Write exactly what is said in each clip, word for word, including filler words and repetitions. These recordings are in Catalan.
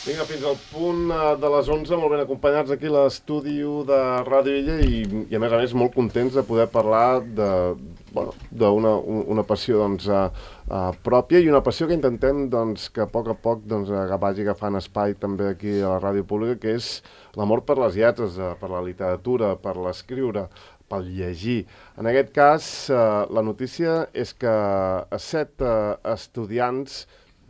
Vinga, fins al punt de les onze, molt ben acompanyats aquí a l'estudi de Ràdio Illa i, i a més a més molt contents de poder parlar de, bueno, d'una una passió doncs, uh, uh, pròpia i una passió que intentem doncs, que a poc a poc doncs, vagi agafant espai també aquí a la ràdio pública, que és l'amor per les lletres, uh, per la literatura, per l'escriure, pel llegir. En aquest cas, uh, la notícia és que set uh, estudiants,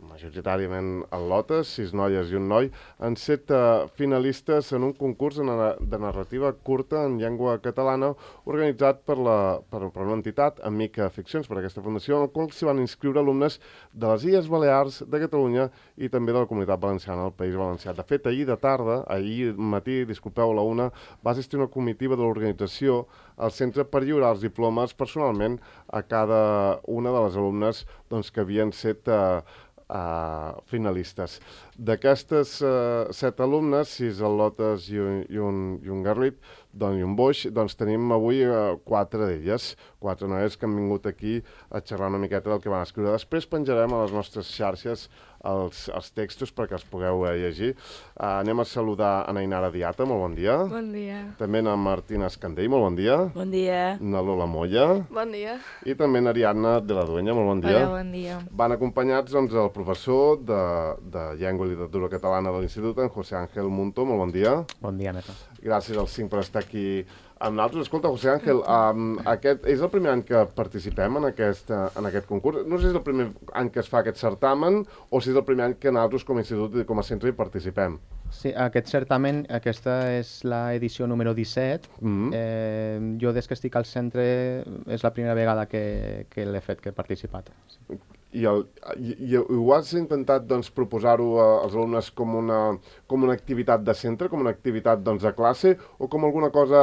majoritàriament al·lotes, sis noies i un noi, han set uh, finalistes en un concurs de, na de narrativa curta en llengua catalana organitzat per, la, per, per una entitat, Amica Ficcions, per aquesta fundació, en el qual s'hi van inscriure alumnes de les Illes Balears, de Catalunya i també de la Comunitat Valenciana, el País Valencià. De fet, ahir de tarda, ahir matí, disculpeu, a la una, va assistir una comitiva de l'organització al centre per lliurar els diplomes personalment a cada una de les alumnes doncs, que havien set uh, Uh, finalistes. D'aquestes uh, set alumnes, sis al·lotes i un, i un, i un garlit, doncs, i un boix, doncs tenim avui uh, quatre d'elles, quatre noies que han vingut aquí a xerrar una miqueta del que van escriure. Després penjarem a les nostres xarxes els, els textos perquè els pugueu uh, llegir. Uh, anem a saludar a Nainara Diata, molt bon dia. Bon dia. També a Martina Escandell, molt bon dia. Bon dia. Na Lola Molla. Bon dia. I també a Ariadna de la Duenya, molt bon dia. Hola, bon dia. Van acompanyats doncs, el professor de, de Llengua i Literatura Catalana de l'Institut, en José Ángel Muntó, molt bon dia. Bon dia, Neta. Gràcies als cinc per estar aquí amb nosaltres. Escolta, José Ángel, um, aquest és el primer any que participem en aquest, uh, en aquest concurs. No sé si és el primer any que es fa aquest certamen o si és el primer any que nosaltres com a institut i com a centre hi participem. Sí, aquest certamen, aquesta és l'edició número disset. Mm-hmm. eh, jo des que estic al centre és la primera vegada que, que l'he fet, que he participat. I, el, i, i ho has intentat doncs, proposar-ho als alumnes com una, com una activitat de centre, com una activitat doncs, de classe, o com alguna cosa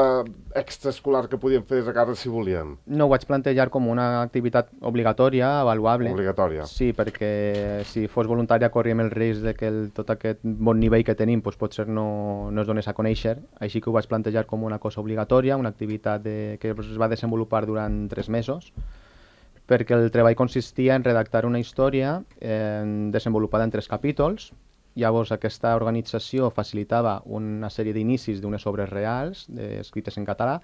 extraescolar que podíem fer des de casa si volíem? No, ho vaig plantejar com una activitat obligatòria, avaluable. Obligatòria. Sí, perquè si fos voluntària corríem el risc de que el, tot aquest bon nivell que tenim doncs, potser no, no es donés a conèixer, així que ho vaig plantejar com una cosa obligatòria, una activitat de, que es va desenvolupar durant tres mesos, perquè el treball consistia en redactar una història eh, desenvolupada en tres capítols. Llavors aquesta organització facilitava una sèrie d'inicis d'unes obres reals de, escrites en català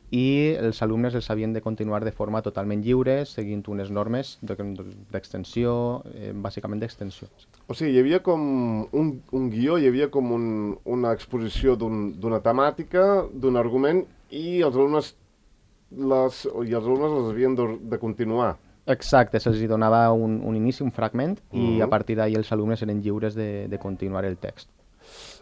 i els alumnes els havien de continuar de forma totalment lliure, seguint unes normes d'extensió, eh, bàsicament d'extensió. O sigui, hi havia com un, un guió, hi havia com un, una exposició d'una un, temàtica, d'un argument, i els alumnes Les, i els alumnes les havien de, de continuar. Exacte, se'ls donava un, un inici, un fragment, i mm-hmm. a partir d'ahir els alumnes eren lliures de, de continuar el text.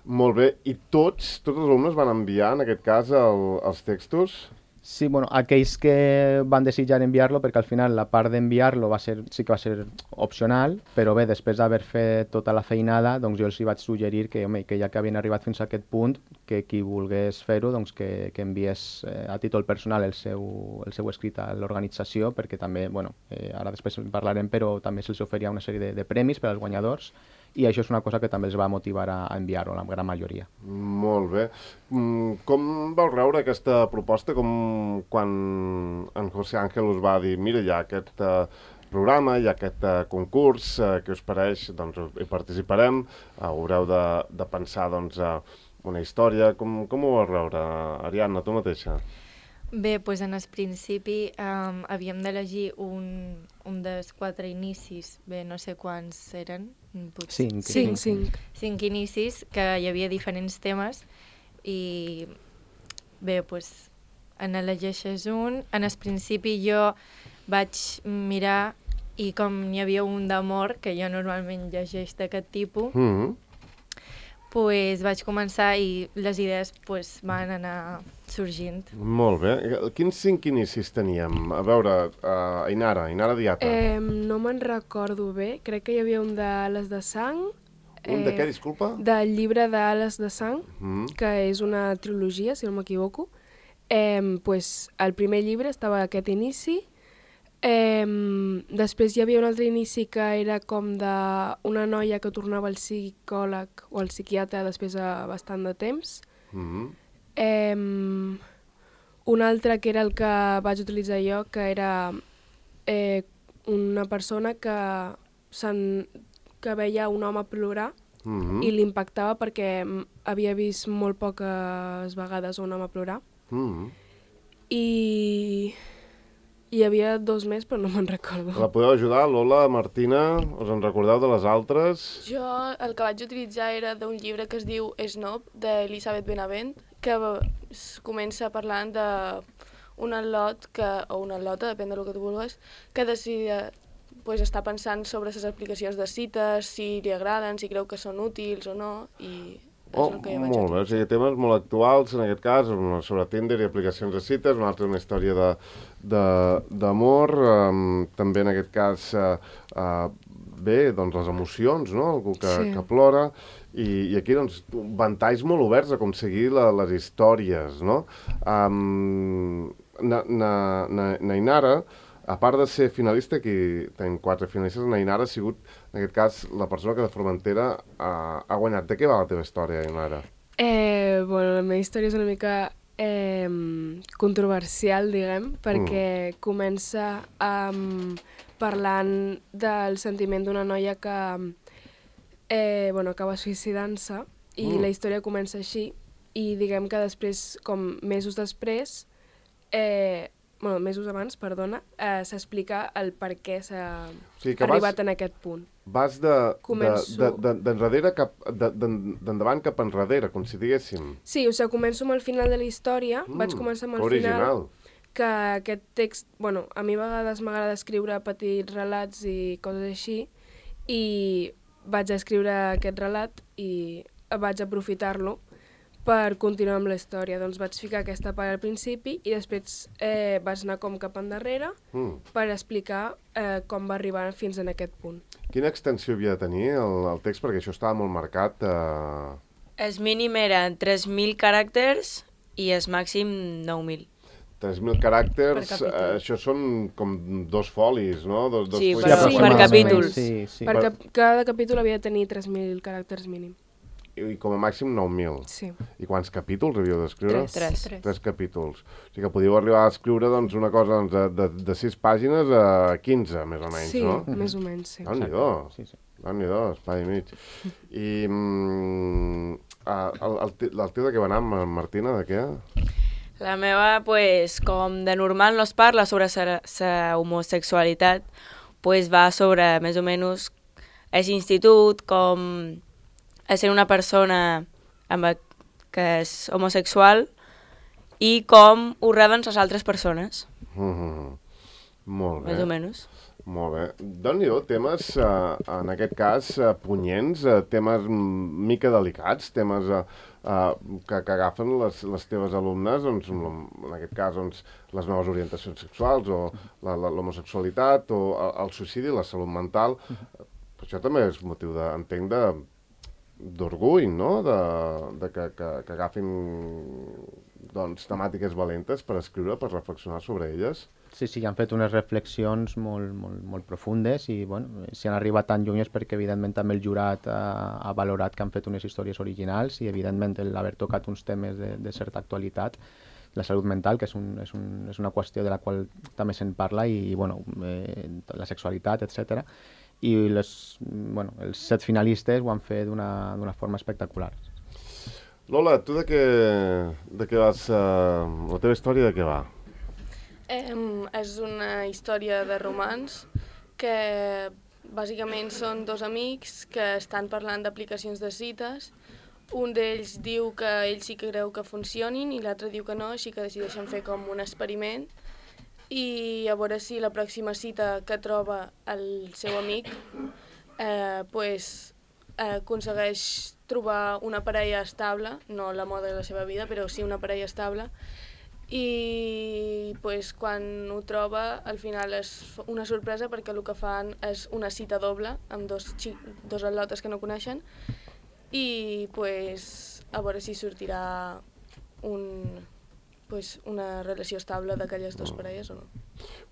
Molt bé, i tots, tots els alumnes van enviar, en aquest cas, el, els textos? Sí, bueno, aquells que van desitjar enviar-lo, perquè al final la part d'enviar-lo va ser, sí que va ser opcional, però bé, després d'haver fet tota la feinada, doncs jo els hi vaig suggerir que, home, que ja que havien arribat fins a aquest punt, que qui volgués fer-ho, doncs que, que enviés eh, a títol personal el seu, el seu escrit a l'organització, perquè també, bueno, eh, ara després en parlarem, però també se'ls oferia una sèrie de, de premis per als guanyadors, i això és una cosa que també els va motivar a, a enviar-ho, la gran majoria. Molt bé. Com vau rebre aquesta proposta? Com quan en José Ángel us va dir, mira, hi ha aquest uh, programa, hi ha aquest uh, concurs, uh, que us pareix, doncs hi participarem, uh, haureu de, de pensar doncs, uh, una història. Com, com ho vau rebre, Ariadna, tu mateixa? Bé, doncs en el principi um, havíem d'elegir un, un dels quatre inicis, bé, no sé quants eren. Potser. Cinc. Cinc, cinc. Cinc inicis, que hi havia diferents temes, i bé, doncs en elegeixes un. En el principi jo vaig mirar i com n'hi havia un d'amor, que jo normalment llegeix d'aquest tipus, Mm-hmm. pues vaig començar i les idees pues, van anar sorgint. Molt bé. Quins cinc inicis teníem? A veure, uh, Ainara, Ainara Diata. Eh, no me'n recordo bé, crec que hi havia un d'Ales de Sang. Un de què, disculpa? Del llibre d'Ales de Sang, Mm. que és una trilogia, si no m'equivoco. Eh, pues, al primer llibre estava aquest inici. Eh, després hi havia un altre inici que era com d'una noia que tornava al psicòleg o al psiquiatre després de bastant de temps. Mm-hmm. Eh, un altre que era el que vaig utilitzar jo, que era eh, una persona que, que veia un home plorar Mm-hmm. i l'impactava perquè mm, havia vist molt poques vegades un home plorar. Mm-hmm. I hi havia dos més, però no me'n recordo. La podeu ajudar, Lola, Martina? Us en recordeu de les altres? Jo el que vaig utilitzar era d'un llibre que es diu Snob, d'Elisabeth Benavent, que es comença parlant d'un al·lot, que, o una al·lota, depèn del que tu vulguis, que decida, pues, està pensant sobre les aplicacions de cites, si li agraden, si creu que són útils o no, i és Oh, el que jo vaig molt bé, o utilitzar. sigui, temes molt actuals, en aquest cas, una sobre Tinder i aplicacions de cites, una altra una història de- de- d'amor, um, també en aquest cas, uh, uh, bé, doncs les emocions, no?, algú que, Sí. que plora, i, i aquí, doncs, ventalls molt oberts a aconseguir la, les històries, no? Um, na, na, na, Nainara, a part de ser finalista, aquí tenim quatre finalistes, Nainara ha sigut, en aquest cas, la persona que de Formentera ha, ha guanyat. De què va la teva història, Nainara? Eh, bueno, la meva història és una mica eh, controversial, diguem, perquè mm. comença um, parlant del sentiment d'una noia que eh, bueno, acaba suïcidant-se i Mm. la història comença així i diguem que després, com mesos després, eh, bueno, mesos abans, perdona, eh, s'explica el per què s'ha O sigui que arribat vas, en aquest punt. vas de, de, Començo- de, de, d'enrere cap, de, de, d'endavant cap enrere, com si diguéssim. Sí, o sigui, començo amb el final de la història, Mm, vaig començar amb el original. final, que aquest text, bueno, a mi a vegades m'agrada escriure petits relats i coses així, i vaig escriure aquest relat i vaig aprofitar-lo per continuar amb la història. Doncs vaig ficar aquesta part al principi i després eh, vaig anar com cap endarrere Mm. per explicar eh, com va arribar fins en aquest punt. Quina extensió havia de tenir el, el text? Perquè això estava molt marcat. Eh... El mínim eren tres mil caràcters i el màxim nou mil. tres mil caràcters, Per capítol. eh, això són com dos folis, no? Dos, dos Sí, fulls però de Sí, per paper. capítol. Sí, sí. Per cap, cada capítol havia de tenir tres mil caràcters mínim. I, I com a màxim nou mil. Sí. I quants capítols havíeu d'escriure? Tres. Tres. Tres. Tres capítols. O sigui que podíeu arribar a escriure doncs, una cosa doncs, de, de, de sis pàgines a quinze, més o menys, Sí, no? més o menys, sí. Déu-n'hi-do, Sí, sí. Déu-n'hi-do, espai i mig. I mm, ah, el, el, te- el teu de què va anar, Ma- Martina, de què? La meva, pues, com de normal no es parla sobre la homosexualitat, pues va sobre més o menys aquest institut, com a ser una persona amb a- que és homosexual i com ho reben les altres persones, Mm-hmm. Molt bé. més o menys. Molt bé. Déu-n'hi-do, temes, eh, en aquest cas, eh, punyents, eh, temes mm, mica delicats, temes eh, eh, que, que agafen les, les teves alumnes, doncs, en aquest cas, doncs, les noves orientacions sexuals o la- la- l'homosexualitat o el, el suïcidi, la salut mental. Per això també és motiu, de, entenc, de d'orgull, no?, de, de que, que, que agafin doncs, temàtiques valentes per escriure, per reflexionar sobre elles. Sí, sí, han fet unes reflexions molt, molt, molt profundes i bueno, si han arribat tan lluny és perquè evidentment també el jurat ha, ha valorat que han fet unes històries originals i evidentment l'haver tocat uns temes de, de certa actualitat, la salut mental, que és, un, és, un, és una qüestió de la qual també se'n parla i, i bueno, eh, la sexualitat, etcètera. I les, bueno, els set finalistes ho han fet d'una d'una forma espectacular. Lola, tu de què, de què vas... Uh, la teva història de què va? Em, és una història de romans que bàsicament són dos amics que estan parlant d'aplicacions de cites. Un d'ells diu que ell sí que creu que funcionin i l'altre diu que no, així que decideixen fer com un experiment i a veure si la pròxima cita que troba el seu amic eh, pues, eh, aconsegueix trobar una parella estable, no l'amor de la seva vida, però sí una parella estable, i pues, quan ho troba al final és una sorpresa perquè el que fan és una cita doble amb dos, xi- dos al·lotes que no coneixen i pues, a veure si sortirà un, pues, una relació estable d'aquelles dues parelles o no.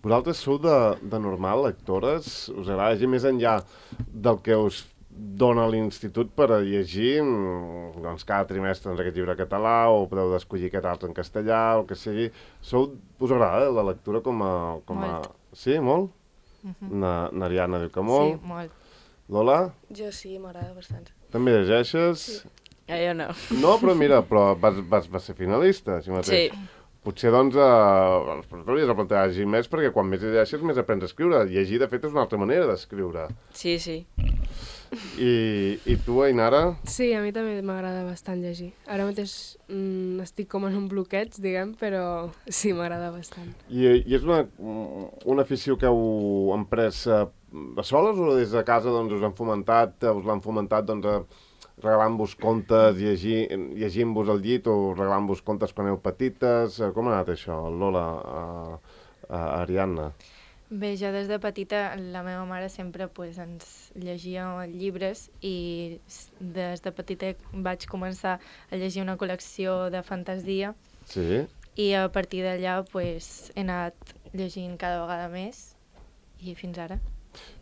Vosaltres sou de, de normal lectores? Us agrada llegir més enllà del que us dona l'institut per a llegir mm, doncs, cada trimestre doncs, aquest llibre català o podeu escollir aquest altre en castellà o el que sigui. Sou, us agrada la lectura com a... Com a... Molt. Sí, molt? Mhm. Na, Nariana diu que molt. Sí, molt. Lola? Jo sí, m'agrada bastant. També llegeixes? Sí. Ja, jo no. No, però mira, però vas, vas, vas ser finalista, així mateix. Sí. Potser, doncs, eh, t'hauries de plantejar llegir més, perquè quan més llegeixes, més aprens a escriure. Llegir, de fet, és una altra manera d'escriure. Sí, sí. I, I tu, Ainara? Sí, a mi també m'agrada bastant llegir. Ara mateix mm, estic com en un bloqueig, diguem, però sí, m'agrada bastant. I, i és una, una afició que heu emprès eh, de soles o des de casa doncs, us han fomentat, us l'han fomentat doncs, a regalant-vos contes, llegir, llegint-vos al llit o regalant-vos contes quan heu petites? Com ha anat això, Lola, a, a Ariadna? Bé, jo des de petita, la meva mare sempre pues, ens llegia llibres i des de petita vaig començar a llegir una col·lecció de fantasia. Sí. I a partir d'allà pues, he anat llegint cada vegada més i fins ara.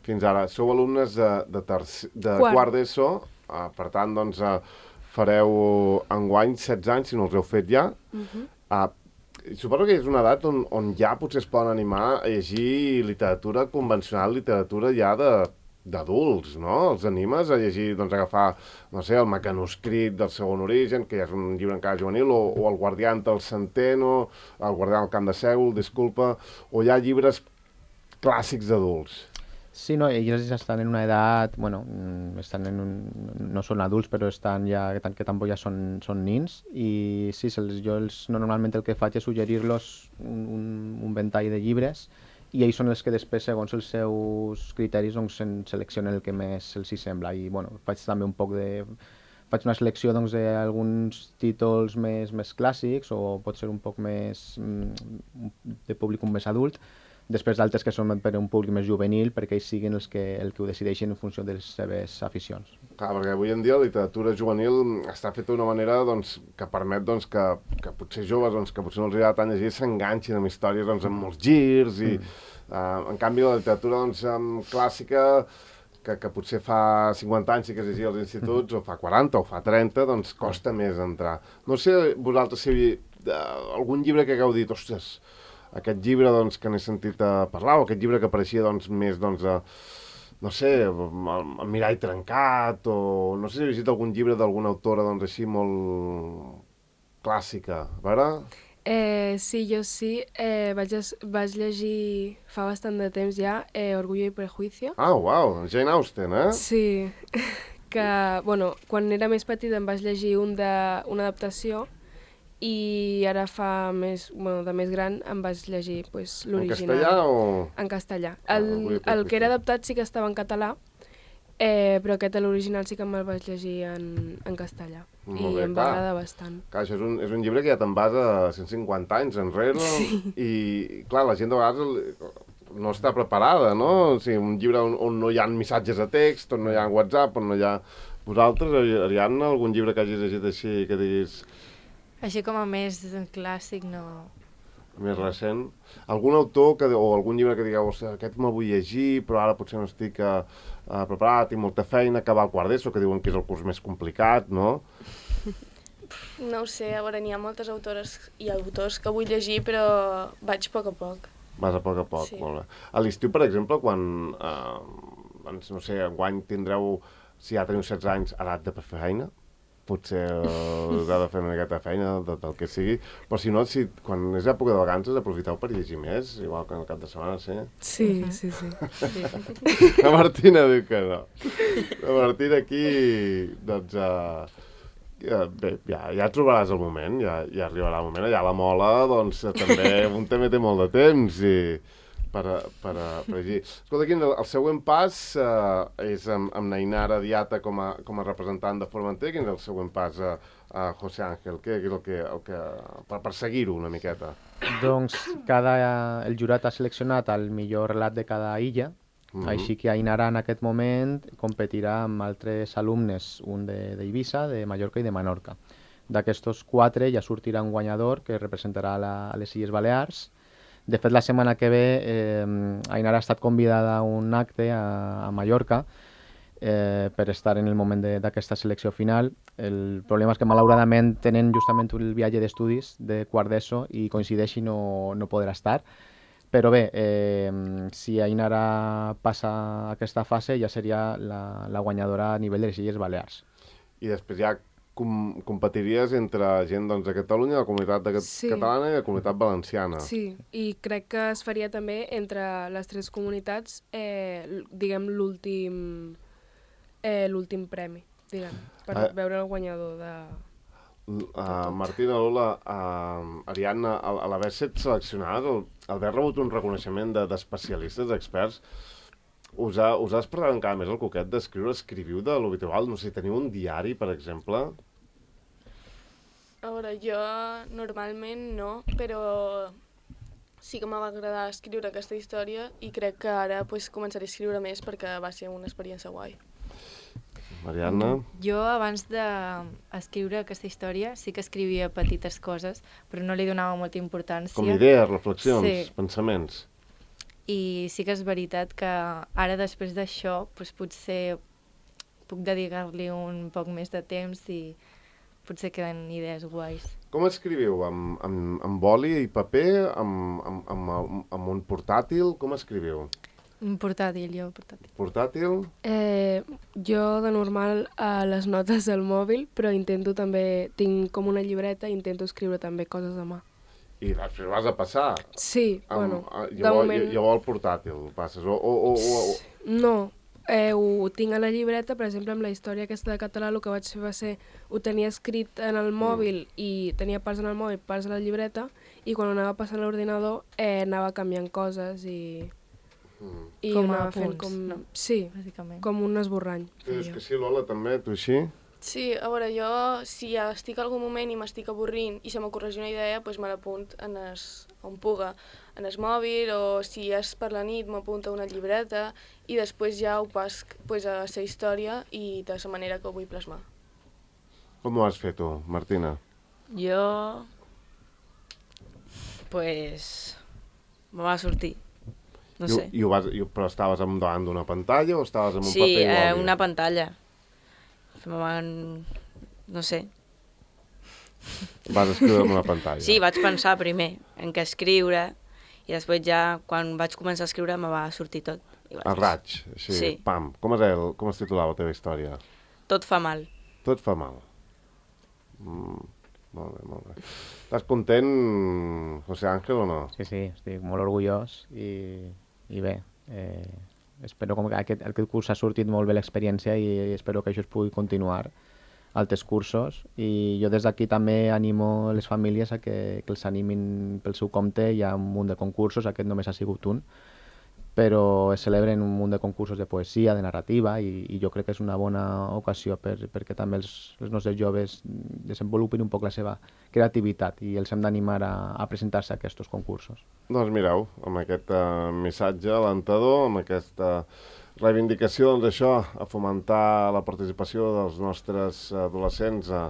Fins ara. Sou alumnes de, de, terci, de quart, quart d'ESO. Uh, per tant, doncs, uh, fareu enguany setze anys, si no els heu fet ja. Uh-huh. uh, suposo que és una edat on, on ja potser es poden animar a llegir literatura convencional, literatura ja de d'adults, no? Els animes a llegir, doncs, agafar, no sé, el Mecanoscrit del Segon Origen, que ja és un llibre encara juvenil, o, o El Guardián del Centeno, El Guardián del Camp de Sègol, disculpa, o hi ha llibres clàssics d'adults. Sí, no, ells estan en una edat, bueno, estan en un, no són adults, però estan ja, que, que tampoc ja són, són nins, i sí, se'ls, jo els, no, normalment el que faig és suggerir-los un, un, un ventall de llibres, i ells són els que després, segons els seus criteris, doncs, en seleccionen el que més els hi sembla, i bueno, faig també un poc de... faig una selecció doncs, d'alguns títols més, més clàssics, o pot ser un poc més de públic més adult, després d'altres que són per un públic més juvenil, perquè ells siguin els que, el que ho decideixin en funció de les seves aficions. Clar, perquè avui en dia la literatura juvenil està feta d'una manera doncs, que permet doncs, que, que potser joves doncs, que potser no els agrada tant llegir s'enganxin amb històries doncs, amb molts girs, i mm. uh, en canvi la literatura doncs, clàssica, que, que potser fa cinquanta anys sí que es llegia als instituts, mm. o fa quaranta o fa trenta, doncs costa més entrar. No sé vosaltres si uh, algun llibre que hagueu dit, ostres, aquest llibre doncs, que n'he sentit a parlar, o aquest llibre que apareixia doncs, més, doncs, a, no sé, el mirall trencat, o no sé si he llegit algun llibre d'alguna autora doncs, així molt clàssica, a veure? Eh, sí, jo sí. Eh, vaig, vaig llegir fa bastant de temps ja eh, Orgullo y Prejuicio. Ah, uau, Jane Austen, eh? Sí, que, bueno, quan era més petita em vaig llegir un de, una adaptació, i ara fa més, bueno, de més gran em vaig llegir pues, l'original. En castellà o...? En castellà. El, ah, el que era adaptat sí que estava en català, eh, però aquest, l'original, sí que me'l vaig llegir en, en castellà. Molt I bé, em va agradar bastant. Clar, això és un, és un llibre que ja te'n vas a cent cinquanta anys enrere, sí. I, clar, la gent de vegades no està preparada, no? O sigui, un llibre on, on no hi ha missatges a text, on no hi ha WhatsApp, on no hi ha... Vosaltres, Ariadna, algun llibre que hagis llegit així que diguis... Així com a més clàssic, no... Més recent. Algun autor que, o algun llibre que digueu, aquest me'l vull llegir, però ara potser no estic uh, uh, preparat, tinc molta feina, acabar el quart d'ESO, que diuen que és el curs més complicat, no? No ho sé, a veure, n'hi ha moltes autores i autors que vull llegir, però vaig a poc a poc. Vas a poc a poc, sí. Molt bé. A l'estiu, per exemple, quan, uh, doncs, no sé, enguany tindreu, si ja teniu setze anys, edat de fer feina, potser us ha de fer una miqueta de feina del, del que sigui, però si no, si, quan és època de vacances, aprofiteu per llegir més, igual que en el cap de setmana, sí? Sí, uh-huh. sí, sí. sí. La Martina diu que no. La Martina aquí, doncs, uh, ja, bé, ja, ja trobaràs el moment, ja, ja arribarà el moment, allà a la Mola, doncs, també, un també té molt de temps, i... per, per, per llegir. Escolta, aquí el, el següent pas uh, és amb, amb Ainara Diata com a, com a representant de Formenter. Quin és el següent pas a, a José Ángel? Què és el que, el que, per, per seguir-ho una miqueta? Doncs cada, el jurat ha seleccionat el millor relat de cada illa, mm-hmm. Així que Ainara en aquest moment competirà amb altres alumnes, un d'Eivissa, de, de Mallorca i de Menorca. D'aquestos quatre ja sortirà un guanyador que representarà la, a les Illes Balears. De fet, la setmana que ve eh, Ainara ha estat convidada a un acte a, a Mallorca eh, per estar en el moment d'aquesta selecció final. El problema és que malauradament tenen justament el viatge d'estudis de quart d'ESO i coincideix i no, no podrà estar. Però bé, eh, si Ainara passa aquesta fase ja seria la, la guanyadora a nivell de les Illes Balears. I després ja com, competiries entre gent doncs, de Catalunya, la comunitat de, Sí. catalana i la comunitat valenciana. Sí, i crec que es faria també entre les tres comunitats, eh, l- diguem, l'últim eh, l'últim premi, diguem, per Eh. veure el guanyador de... Uh, Martina, Lola, uh, Ariadna, a, a l'haver set seleccionades, al, al haver rebut un reconeixement de- d'especialistes, de, d'experts, us ha, us ha despertat encara més el coquet d'escriure? Escriviu de l'habitual? No sé, teniu un diari, per exemple? A veure, jo normalment no, però sí que m'ha agradar escriure aquesta història i crec que ara pues, començaré a escriure més perquè va ser una experiència guai. Mariana? Jo, abans d'escriure aquesta història, sí que escrivia petites coses, però no li donava molta importància. Com idees, reflexions, Sí. pensaments? I sí que és veritat que ara, després d'això, doncs potser puc dedicar-li un poc més de temps i potser queden idees guais. Com escriviu? Amb, amb, amb boli i paper? Amb, amb, amb, amb un portàtil? Com escriviu? Un portàtil, jo, portàtil. Portàtil? Eh, jo, de normal, a les notes del mòbil, però intento també, tinc com una llibreta i intento escriure també coses a mà. I després vas a passar? Sí, Amb, bueno, ah, de llavors, moment... llavors el portàtil passes? O, o, o, o, o... No, eh, ho tinc a la llibreta, per exemple, amb la història aquesta de català, el que vaig fer va ser, ho tenia escrit en el mòbil Mm. i tenia parts en el mòbil, parts a la llibreta, i quan ho anava passant a l'ordinador eh, anava canviant coses i, Mm. i Com a anava fent apunts, com... no? Sí, Bàsicament. com un esborrany. Tu dius feia. que sí, Lola, també? Tu així? Sí, a veure, jo si estic en algun moment i m'estic avorrint i se m'ocorreix una idea, doncs me l'apunt en es, on puga, en el mòbil, o si és per la nit m'apunto a una llibreta i després ja ho pas pues, a la història i de la manera que ho vull plasmar. Com ho has fet tu, Martina? Jo... Pues... me va sortir. No I, ho- sé. I ho vas, i, ho- però estaves amb- davant d'una pantalla o estaves amb un Sí, paper i eh, boli? una pantalla. Me van... no sé. Vas escriure amb una pantalla. Sí, vaig pensar primer en què escriure i després ja, quan vaig començar a escriure, me va sortir tot. I vaig... El raig, sí, Sí. pam. Com es, el, com es titulava la teva història? Tot fa mal. Tot fa mal. Mm, molt bé, molt bé. Estàs content, José Ángel, o no? Sí, sí, estic molt orgullós i, i bé, eh, espero com que aquest, aquest curs ha sortit molt bé l'experiència i espero que això es pugui continuar altres cursos i jo des d'aquí també animo les famílies a que, que els animin pel seu compte. Hi ha un munt de concursos, aquest només ha sigut un, però es celebren un munt de concursos de poesia, de narrativa i, i jo crec que és una bona ocasió per, perquè també els, els nostres joves desenvolupin un poc la seva creativitat i els hem d'animar a, a presentar-se a aquests concursos. Doncs mireu, amb aquest uh, missatge alentador, amb aquesta reivindicació, doncs això, a fomentar la participació dels nostres adolescents a,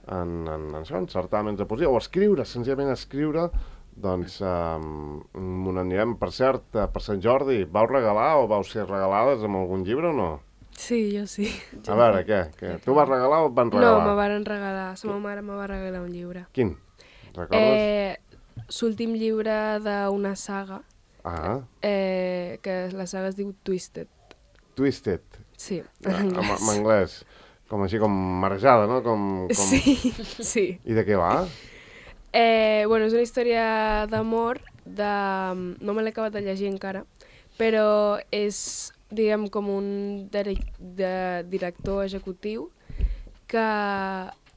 en, en, en, això, en certàmens de poesia, o escriure, senzillament escriure, doncs um, on anirem. Per cert, uh, per Sant Jordi, vau regalar o vau ser regalades amb algun llibre o no? Sí, jo sí. A veure, què? què? Tu vas regalar o et van No, regalar? me varen regalar, la meva mare me va regalar un llibre. Quin? Recordes? Eh, l'últim llibre d'una saga, Ah, eh, que la saga es diu Twisted. Twisted, Sí, en en anglès. en anglès. Com així, com marejada, no? Com, com... Sí, sí. I de què va? Eh, bueno, és una història d'amor, de... no me l'he acabat de llegir encara, però és, diguem, com un direc de director executiu que,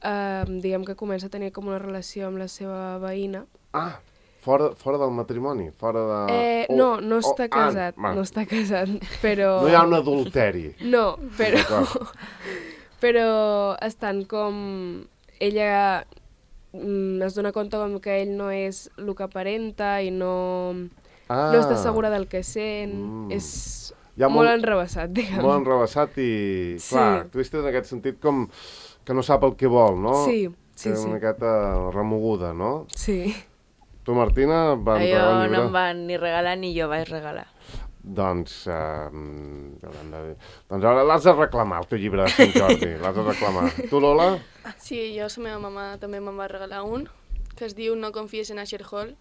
eh, diguem, que comença a tenir com una relació amb la seva veïna. Ah, fora, fora del matrimoni, fora de... Eh, o- no, no o- està casat, ah, va. no està casat, però... No hi ha un adulteri. No, però... D'acord. però estan com... Ella mm, es dona compte com que ell no és el que aparenta i no, Ah, no està segura del que sent. Mm. És Hi ha molt, molt- enrebaçat, diguem. Molt enrebaçat i, Sí. clar, Twisted en aquest sentit com que no sap el que vol, no? Sí, sí, que és sí. una miqueta remoguda, no? Sí. Tu, Martina, et van Jo regalar un no llibre? em van ni regalar ni jo vaig regalar. Doncs, eh, haurem de... doncs ara l'has de reclamar, el teu llibre de Sant Jordi, l'has de reclamar. Tu, Lola? Sí, jo, la meva mamà també me'n va regalar un, que es diu No confies en Asher Hall,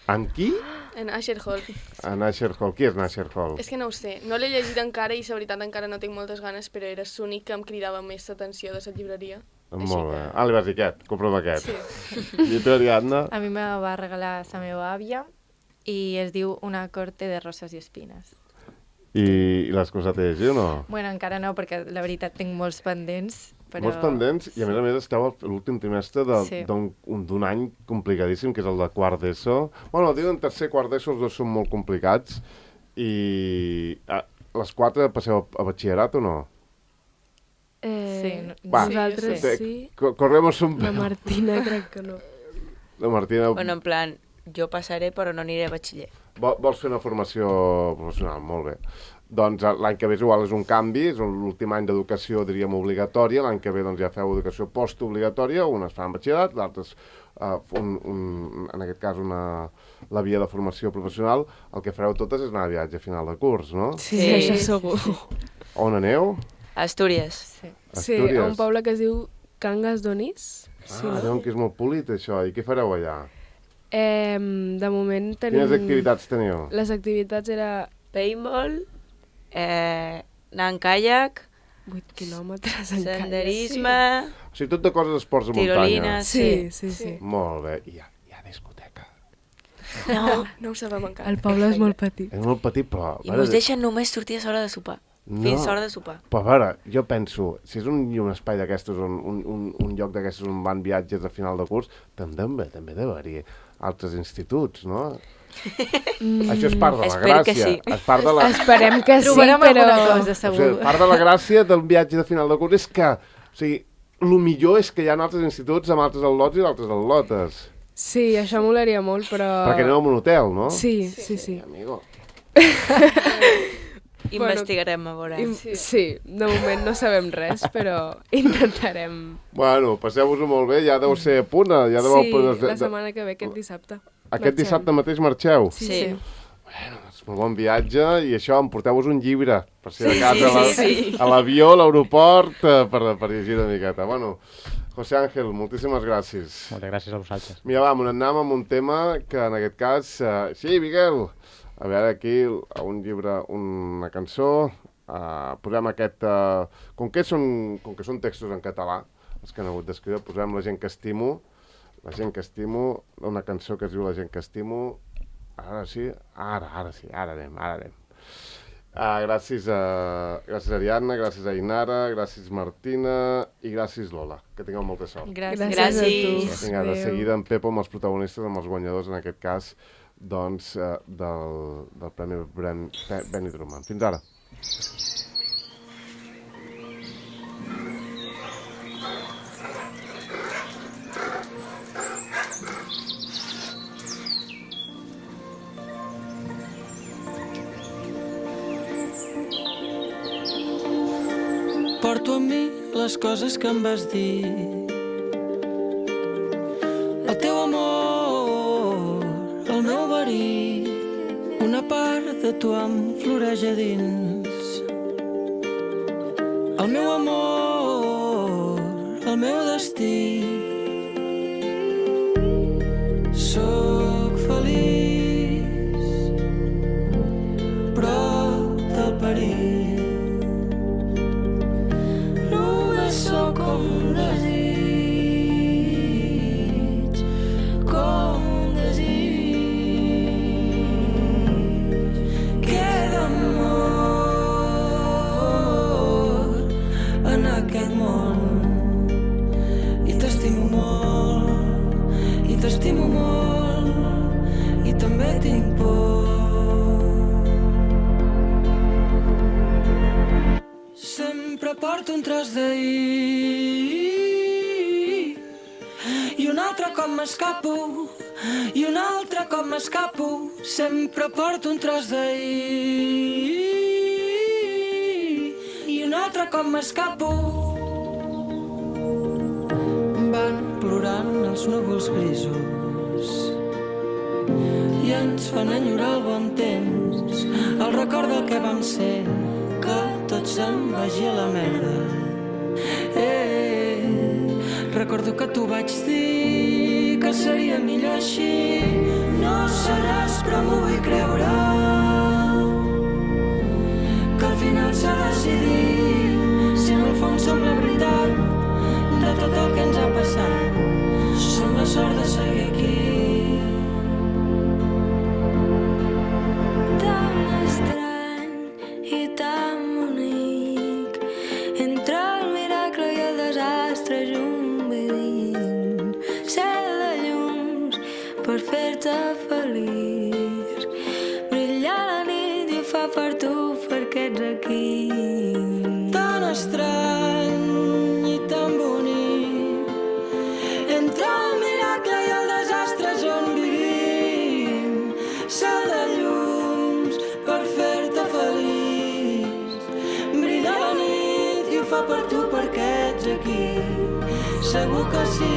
Amb qui? En Asher Hall. A Nasher Hall. Qui és Nasher Hall? És que no ho sé, no l'he llegit encara i la veritat encara no tinc moltes ganes, però era l'únic que em cridava més l'atenció de la llibreria. Molt bé. Ah, li vas dir aquest, compra'm aquest. Sí. I tu, Ariadna? A mi me va regalar la meva àvia i es diu Una corte de roses i espines. I, i l'has començat a llegir o no? Bueno, encara no, perquè la veritat tinc molts pendents, però... Molts pendents, i a més a més esteu a l'últim trimestre de- Sí. d'un un- d'un any complicadíssim, que és el de quart d'ESO. Bueno, diuen tercer i quart d'ESO, els dos són molt complicats, i ah, les quatre passeu a, a batxillerat o no? Eh, Sí, no- Va, nosaltres te- sí, co- Corremos un... la Martina crec que no. La Martina, Bueno, en plan, jo passaré però no aniré a batxiller. vol, vols fer una formació professional? Molt bé. Doncs eh, l'any que ve és igual, és un canvi, és un- l'últim any d'educació, diríem, obligatòria, l'any que ve doncs, ja feu educació postobligatòria, unes fan batxillerat, l'altres, uh, un, un, en aquest cas, una, la via de formació professional. El que fareu totes és anar a viatge a final de curs, no? Sí, Sí, això sí, segur. On aneu? Astúries. Sí. Sí, a un poble que es diu Cangas d'Onís. Sí, Ah, no? diuen que és molt polit, això. I què fareu allà? Eh, de moment tenim... Quines activitats teniu? Les activitats era Paintball, eh, anar en caiac, vuit quilòmetres en senderisme, O sigui, tot de coses esports de muntanya. tirolines, Sí, sí, sí. Molt bé. I hi ha, hi ha discoteca. No, No ho sabem encara. El poble és molt petit. És molt petit, però... i mos deixen només sortir a l'hora de sopar. No. Fins a l'hora de sopar. Però a veure, jo penso, si és un, un espai d'aquestos, un, un, un, un lloc d'aquestos on van viatges a final de curs, també, també deu haver-hi altres instituts, no? Mm. Això és part de la Espero que gràcia. sí. És part de la, Esperem que sí, Trobarem però... alguna cosa, o segur. sigui, part de la gràcia del viatge de final de curs és que, o sigui, el millor és que hi ha altres instituts amb altres al·lots i altres al·lotes. Sí, això molaria molt, però... Perquè aneu a un hotel, no? Sí, sí, sí. Amigo. Investigarem a veure. I, sí, de moment no sabem res, però intentarem... Bueno, passeu-vos-ho molt bé, ja deu ser a punt, ja deu... Sí, la setmana que ve, aquest dissabte. Aquest marxem. dissabte mateix marxeu? Sí, Sí. sí. Bueno, doncs molt bon viatge i això, emporteu-vos un llibre, per si de casa a la- sí, sí. a l'avió, a l'aeroport, eh, per, per llegir una miqueta. Bueno, José Ángel, moltíssimes gràcies. Moltes gràcies a vosaltres. Mira, va, anem amb un tema que en aquest cas... Eh, sí, Miguel! A veure, aquí, a un llibre, una cançó, eh, posem aquest... Eh, com, que són, com que són textos en català, els que han hagut d'escriure, posem La gent que estimo, La gent que estimo, una cançó que es diu La gent que estimo. Ara sí, ara, ara sí, ara anem, ara anem. Uh, gràcies, a, gràcies Ariadna, gràcies a Inara, gràcies Martina i gràcies Lola. Que tingueu molta sort. Gràcies. Gràcies a Gràcies. tu. Vinga, de Adéu. seguida en Pepo amb els protagonistes, amb els guanyadors, en aquest cas, doncs, eh, del, del Premi Bren, Be- Benny Drummond. Fins ara. Porto amb mi les coses que em vas dir. El teu amor, el meu verí, una part de tu em floreix a dins. El meu amor, el meu destí. Sóc feliç prop del perill. Només sóc com un desig, com un desig. Queda amor en aquest món i t'estimo molt, i t'estimo molt, i també tinc por. Sempre porto un tros d'ahir i un altre cop m'escapo, i un altre cop m'escapo. Sempre porto un tros d'ahir i un altre cop m'escapo. Van plorant els núvols grisos i ens fan enyorar el bon temps, el record del que vam ser, que tot se'n vagi a la merda. Eh, recordo que t'ho vaig dir, que seria millor així. No sé però m'ho vull creure, que al final s'ha decidit si en el fons som la veritat de tot el que ens ha passat. Som la sort de seguir aquí. Tan estrany i tan bonic, entre el miracle i el desastre junt vivint, cel de llums per fer-te feliç, brillar la nit i ho fa per tu perquè ets aquí. Tan estrany i tan bonic, entre el miracle i el desastre on vivim, cel de llums per fer-te feliç, brillar la nit i ho fa per tu perquè ets aquí. Segur que sí.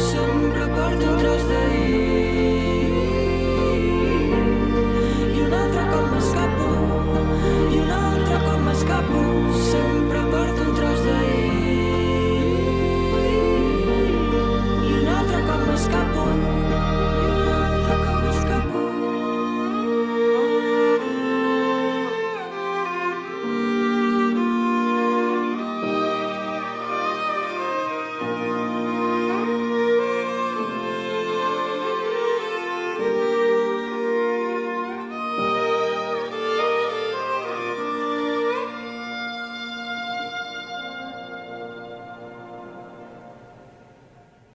Sempre porto un tros de